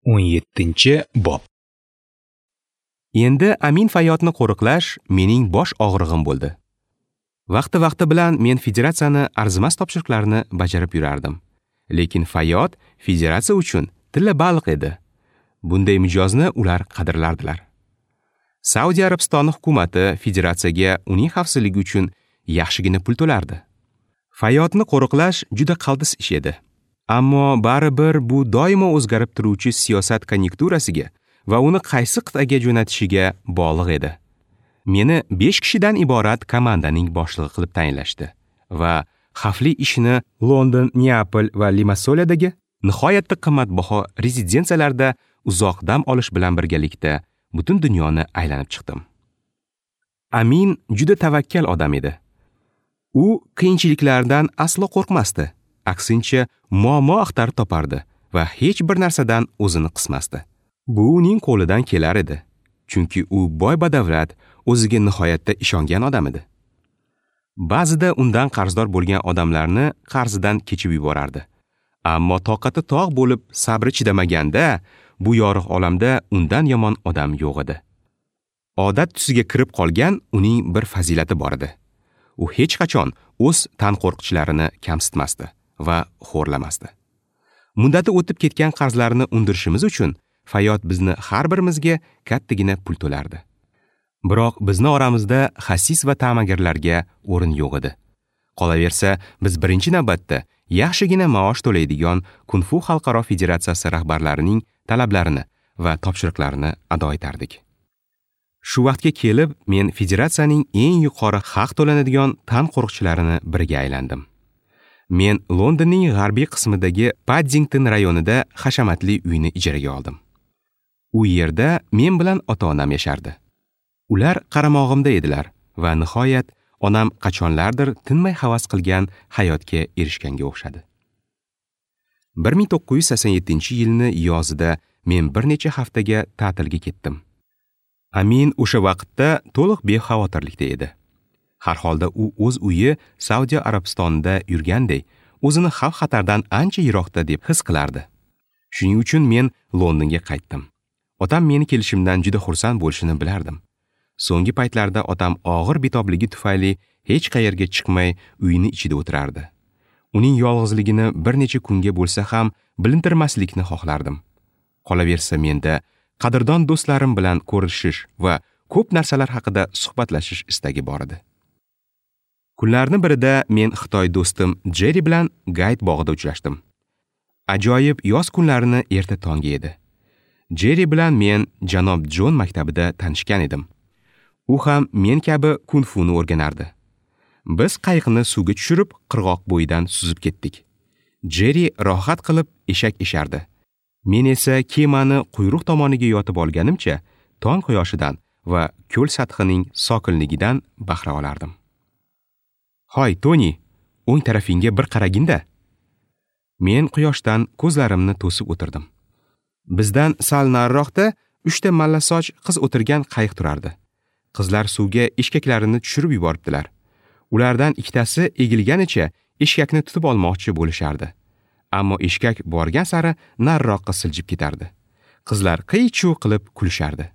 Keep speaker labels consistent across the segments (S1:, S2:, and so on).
S1: 17-bob.
S2: Endi Amin Fayyodni qo'riqlash mening bosh og'rig'im bo'ldi. Vaqti-vaqti bilan men federatsiyani arzimas topshiriqlarini bajarib yurardim. Lekin Fayyod federatsiya uchun tilla baliq edi. Bunday mijozni ular qadrlardilar. Saudiya Arabistoni hukumati federatsiyaga uning xavfsizligi uchun yaxshigina pul to'lardi. Fayyodni qo'riqlash juda qaltis ish edi. Ammo baribir bu doimo o'zgarib turuvchi siyosat konyunkturasiga va uni qaysi qit'aga jo'natishiga bog'liq edi. Meni 5 kishidan iborat komandaning boshlig'i qilib tayinlashdi va xavfli ishni London, Neapol va Limassoladagi nihoyatda qimmatbaho rezidensiyalarda uzoq dam olish bilan birgalikda butun dunyoni aylanib chiqdim. Amin juda tavakkal odam edi. U qiyinchiliklardan aslo qo'rqmasdi. Aksincha, muammo axtarib topardi va hech bir narsadan o'zini qismasdi. Bu uning qo'lidan kelar edi, chunki u boy badavlat, o'ziga nihoyatda ishongan odam edi. Ba'zida undan qarzdor bo'lgan odamlarni qarzidan kechib yuborardi. Ammo toqati tog' bo'lib sabri chidamaganda, bu yorug' olamda undan yomon odam yo'q edi. Odat tusiga kirib qolgan uning bir fazilati bor edi. U hech qachon o'z tanqo'rqchilarini kamsitmasdi va xo'rlamasdi. Muddati o'tib ketgan qarzlarni undirishimiz uchun Fayyod bizni har birimizga kattagina pul to'lardi. Biroq bizni oramizda xasis va ta'magirlarga o'rin yo'q edi. Qolaversa, biz birinchi navbatda yaxshigina maosh to'laydigan Kung-fu xalqaro federatsiyasi rahbarlarining talablarini va topshiriqlarini ado etardik. Shu vaqtga kelib men federatsiyaning eng yuqori haq to'lanadigan tan qo'riqchilarini biriga aylandim. Men Londonning g'arbiy qismidagi Paddington rayonida hashamatli uyni ijaraga oldim. U yerda men bilan ota-onam yashardi. Ular qaramog'imda edilar va nihoyat onam qachonlardir tinmay havas qilgan hayotga erishganga o'xshadi. 1987-yilni yozida men bir necha haftaga ta'tilga ketdim. Amin o'sha vaqtda to'liq bexavotirlikda edi. Har holda u o'z uyi Saudiya Arabistonida yurganday, o'zini xavf-xatardan ancha yiroqda deb his qilardi. Shuning uchun men Londonga qaytdim. Otam meni kelishimdan juda xursand bo'lishini bilardim. So'nggi paytlarda otam og'ir betobligi tufayli hech qayerga chiqmay uyini ichida o'tirardi. Uning yolg'izligini bir necha kunga bo'lsa ham bilintirmaslikni xohlardim. Qolaversa menda qadrdon do'stlarim bilan ko'rishish va ko'p narsalar haqida suhbatlashish istagi bor edi. Kunlarning birida men Xitoy do'stim Jerry bilan Gayt bog'ida uchrashdim. Ajoyib yoz kunlarini erta tonggi edi. Jerry bilan men janob Jon maktabida tanishgan edim. U ham men kabi kung-funi o'rganardi. Biz qayiqni suvga tushirib, qirg'oq bo'yidan suzib ketdik. Jerry rohat qilib eshak eshardi. Men esa kemani quyruq tomoniga yotib olganimcha, tong quyoshidan va ko'l sathining sokinligidan bahra olardim. "Hoy, Toni, o'ng tarafingga bir qaraginda." Men quyoshdan ko'zlarimni to'sib o'tirdim. Bizdan sal nariroqda 3 ta mallasoch qiz o'tirgan qayiq turardi. Qizlar suvga eshkaklarini tushirib yuboribdilar. Ulardan ikkitasi egilganicha eshkakni tutib olmoqchi bo'lishardi. Ammo eshkak borgan sari nariroqqa siljib ketardi. Qizlar qiy-chuv qilib kulishardi.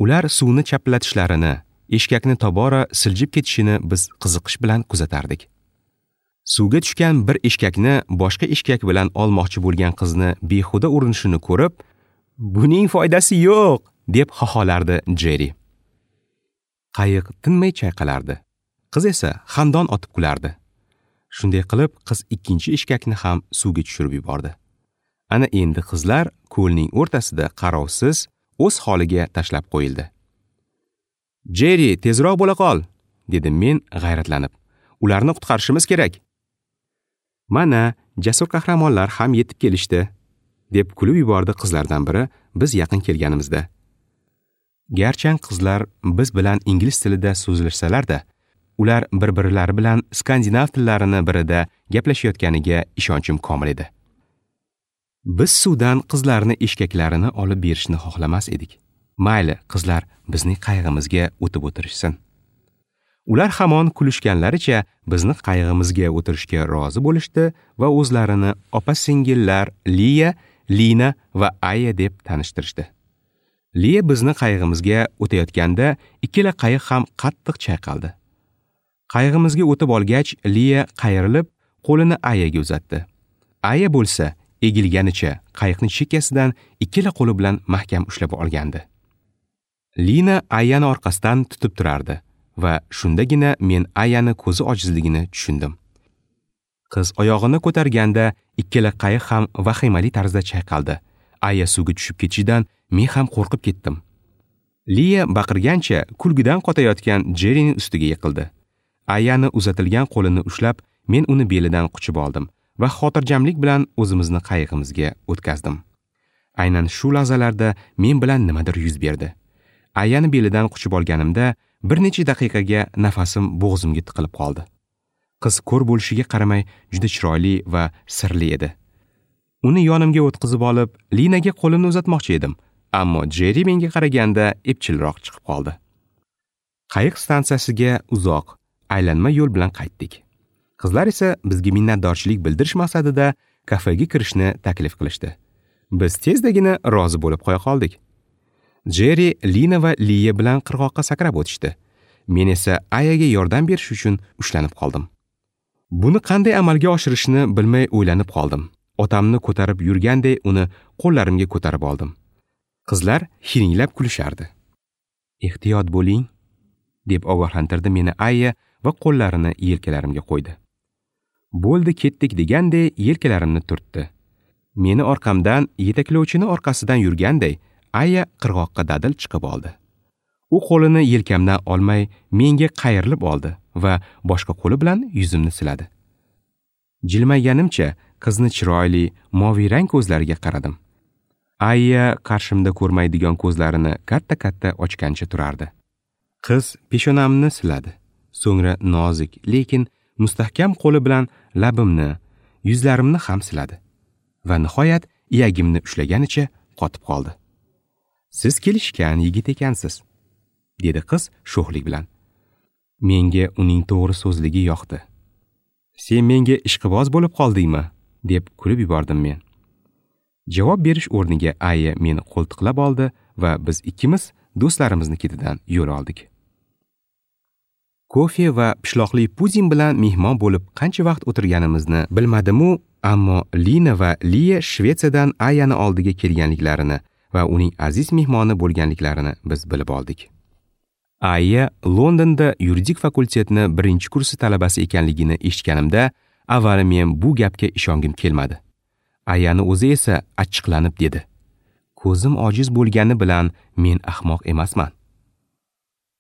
S2: Ular suvni chaplatishlarini, eshkakni tobora siljib ketishini biz qiziqish bilan kuzatardik. Suvga tushgan bir eshkakni boshqa eshkak bilan olmoqchi bo'lgan qizni behuda urinishini ko'rib, "Buning foydasi yo'q", deb xoholardi Jerry. Qayiq tinmay chayqalardi. Qiz esa xandon otib kulardi. Shunday qilib, qiz ikkinchi eshkakni ham suvga tushirib yubordi. Ana endi qizlar ko'lning o'rtasida qarovsiz o'z holiga tashlab qo'yildi. "Jerry, tezroq bo'la qol", dedim men g'ayratlanib. "Ularni qutqarishimiz kerak." "Mana, jasur qahramonlar ham yetib kelishdi", deb kulib yubordi qizlardan biri biz yaqin kelganimizda. Garchi qizlar biz bilan ingliz tilida so'zlashsalar-da, ular bir-birlari bilan skandinav tillarini birida gaplashayotganiga ishonchim komil edi. Biz suvdan qizlarni eshkaklarini olib berishni xohlamas edik. Mayli, qizlar bizning qayig'imizga o'tib o'tirishsin. Ular hamon kulishganlaricha bizni qayig'imizga o'tirishga rozi bo'lishdi va o'zlarini opa-singillar Liya, Lina va Aya deb tanishtirishdi. Liya bizni qayig'imizga o'tayotganda ikkala qayiq ham qattiq chayqaldi. Qayig'imizga o'tib olgach, Liya qayrilib qo'lini Ayaga uzatdi. Aya bo'lsa egilganicha qayiqni chekkasidan ikkala qo'li bilan mahkam ushlab olgandi. Lina Ayani orqasidan tutib turardi va shundagina men Ayani ko'zi ojizligini tushundim. Qiz oyog'ini ko'targanda ikkala qayiq ham vahimali tarzda chayqaldi. Aya suvga tushib ketishidan men ham qo'rqib ketdim. Liya baqirgancha kulgidan qotayotgan Jerryning ustiga yiqildi. Ayani uzatilgan qo'lini ushlab, men uni belidan quchib oldim va xotirjamlik bilan o'zimizni qayig'imizga o'tkazdim. Aynan shu lahzalarda men bilan nimadir yuz berdi. Ayani belidan quchib olganimda bir necha daqiqaga nafasim bo'g'zimga tiqilib qoldi. Qiz ko'r bo'lishiga qaramay juda chiroyli va sirli edi. Uni yonimga o'tqizib olib, Linaga qo'limni uzatmoqchi edim, ammo Jerry menga qaraganda epchilroq chiqib qoldi. Qayiq stansiyasiga uzoq, aylanma yo'l bilan qaytdik. Qizlar esa bizga minnatdorchilik bildirish maqsadida kafega kirishni taklif qilishdi. Biz tezdagina rozi bo'lib qo'ya qoldik. Jerry, Lina va Liya bilan qirg'oqqa sakrab o'tishdi. Men esa Ayaga yordam berish uchun ushlanib qoldim. Buni qanday amalga oshirishni bilmay o'ylanib qoldim. Otamni ko'tarib yurganday uni qo'llarimga ko'tarib oldim. Qizlar hiringlab kulishardi. "Ehtiyot bo'ling", deb ogohlantirdi meni Aya va qo'llarini yelkalarimga qo'ydi. Bo'ldi, ketdik deganday yelkalarimni turtdi. Meni orqamdan yetaklovchini orqasidan yurganday Aya qirg'oqqa dadil chiqib oldi. U qo'lini yelkamdan olmay menga qayrilib oldi va boshqa qo'li bilan yuzimni siladi. Jilmayganimcha qizni chiroyli, moviy rang ko'zlariga qaradim. Aya qarshimda ko'rmaydigan ko'zlarini katta-katta ochgancha turardi. Qiz peshonamni siladi. So'ngra nozik, lekin mustahkam qo'li bilan labimni, yuzlarimni ham siladi va nihoyat iyagimni ushlaganicha qotib qoldi. "Siz kelishgan yigit ekansiz", dedi qiz sho'xlik bilan. Menga uning to'g'ri so'zligi yoqdi. "Sen menga ishqiboz bo'lib qoldingmi?" deb kulib yubordim men. Javob berish o'rniga Aya meni qo'ltiqlab oldi va biz ikkimiz do'stlarimizni ketidan yo'l oldik. Kofe va pishloqli puding bilan mehmon bo'lib qancha vaqt o'tirganimizni bilmadim-u, ammo Lina va Liya Shvetsiyadan Ayani oldiga kelganliklarini va uning aziz mehmoni bo'lganliklarini biz bilib oldik. Aya Londonda yuridik fakultetni 1-kursi talabasi ekanligini eshitganimda, avval men bu gapga ishongim kelmadi. Ayani o'zi esa achchiqlanib dedi: "Ko'zim ojiz bo'lgani bilan men ahmoq emasman."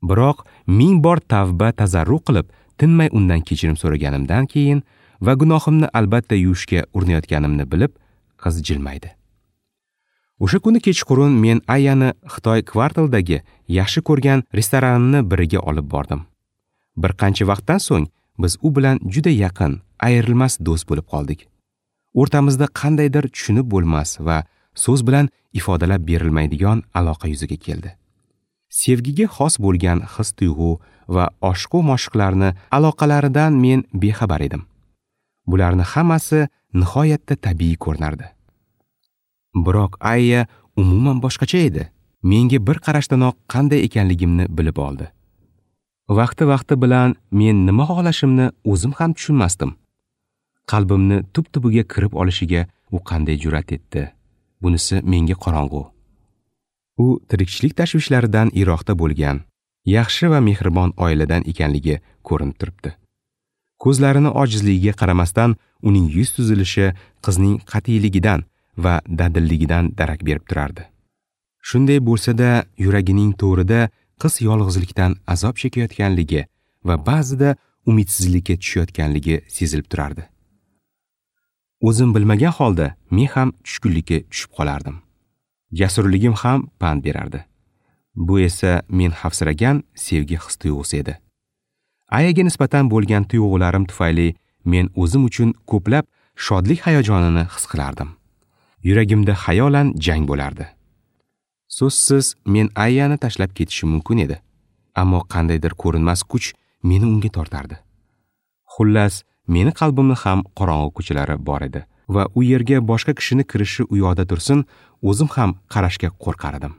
S2: Biroq 1000 bor tavba tazarru qilib, tinmay undan kechirim so'raganimdan keyin va gunohimni albatta yuvishga urinayotganimni bilib, qiz jilmaydi. O'sha kuni kechqurun men Ayani Xitoy kvartalidagi yaxshi ko'rgan restoranimni biriga olib bordim. Bir qancha vaqtdan so'ng biz u bilan juda yaqin, ayrilmas do'st bo'lib qoldik. O'rtamizda qandaydir tushunib bo'lmas va so'z bilan ifodalab berilmaydigan aloqa yuzaga keldi. Sevgiga xos bo'lgan his-tuyg'u va oshiqu moshiqlarni aloqalaridan men bexabar edim. Bularni hammasi nihoyatda tabiiy ko'rinardi. Biroq Aya umuman boshqacha edi. Menga bir qarashdanoq qanday ekanligimni bilib oldi. Vaqti-vaqti bilan men nima xohlashimni o'zim ham tushunmasdim. Qalbimni tub-tubiga kirib olishiga u qanday jur'at etdi? Bunisi menga qorong'u. U tirikchilik tashvishlaridan yiroqda bo'lgan, yaxshi va mehribon oiladan ekanligi ko'rinib turibdi. Ko'zlarini ojizligiga qaramasdan uning yuz tuzilishi qizning qat'iyligidan va dadilligidan darak berib turardi. Shunday bo'lsa-da, yuragining to'rida qiz yolg'izlikdan azob chekayotganligi va ba'zida umidsizlikka tushayotganligi sezilib turardi. O'zim bilmagan holda men ham tushkunlikka tushib qolardim. Jasurligim ham pand berardi. Bu esa men xavfsiragan sevgi his-tuyg'usi edi. Ayaga nisbatan bo'lgan tuyg'ularim tufayli men o'zim uchun ko'plab shodlik hayajonini his qilardim. Yuragimda xayolan jang bo'lardi. So'zsiz men Ayani tashlab ketishim mumkin edi, ammo qandaydir ko'rinmas kuch meni unga tortardi. Xullas, meni qalbimni ham qorong'u ko'chalari bor edi Va u yerga boshqa kishini kirishi u yoqda tursin, o'zim ham qarashga qo'rqar edim.